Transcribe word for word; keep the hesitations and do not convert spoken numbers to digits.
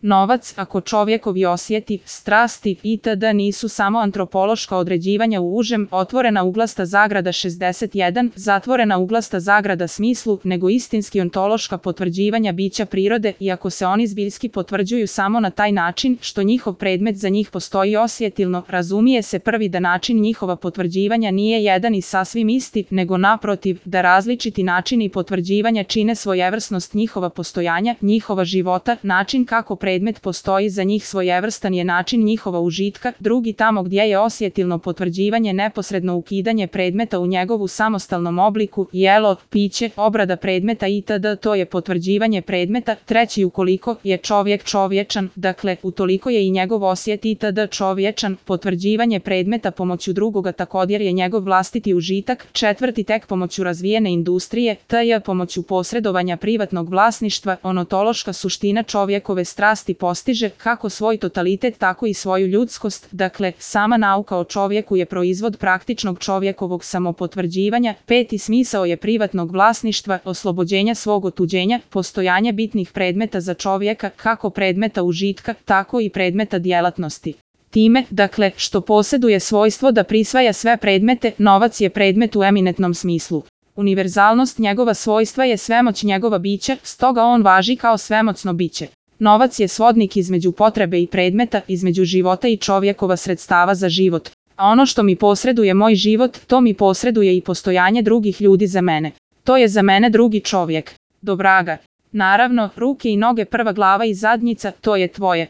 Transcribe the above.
Novac, ako čovjekovi osjeti, strasti itd. Nisu samo antropološka određivanja u užem, otvorena uglasta zagrada šezdeset jedan, zatvorena uglasta zagrada smislu, nego istinski ontološka potvrđivanja bića prirode, iako se oni zbiljski potvrđuju samo na taj način, što njihov predmet za njih postoji osjetilno, razumije se prvi da način njihova potvrđivanja nije jedan i sasvim isti, nego naprotiv, da različiti načini potvrđivanja čine svojevrsnost njihova postojanja, njihova života, način kako predmet Predmet postoji za njih svojevrstan je način njihova užitka, drugi tamo gdje je osjetilno potvrđivanje neposredno ukidanje predmeta u njegovu samostalnom obliku, jelo, piće, obrada predmeta itd. To je potvrđivanje predmeta, treći ukoliko je čovjek čovječan, dakle, utoliko je i njegov osjet itd. čovječan, potvrđivanje predmeta pomoću drugoga također je njegov vlastiti užitak, četvrti tek pomoću razvijene industrije, tj. pomoću posredovanja privatnog vlasništva, onotološka suština čovjekove strasti postiže kako svoj totalitet tako i svoju ljudskost, dakle, sama nauka o čovjeku je proizvod praktičnog čovjekovog samopotvrđivanja, peti smisao je privatnog vlasništva, oslobođenja svog otuđenja, postojanje bitnih predmeta za čovjeka, kako predmeta užitka, tako i predmeta djelatnosti. Time, dakle, što posjeduje svojstvo da prisvaja sve predmete, novac je predmet u eminentnom smislu. Univerzalnost njegova svojstva je svemoć njegova bića, stoga on važi kao svemoćno biće. Novac je svodnik između potrebe i predmeta, između života i čovjekova sredstava za život. A ono što mi posreduje moj život, to mi posreduje i postojanje drugih ljudi za mene. To je za mene drugi čovjek. Do vraga. Naravno, ruke i noge, prva glava i zadnjica, to je tvoje.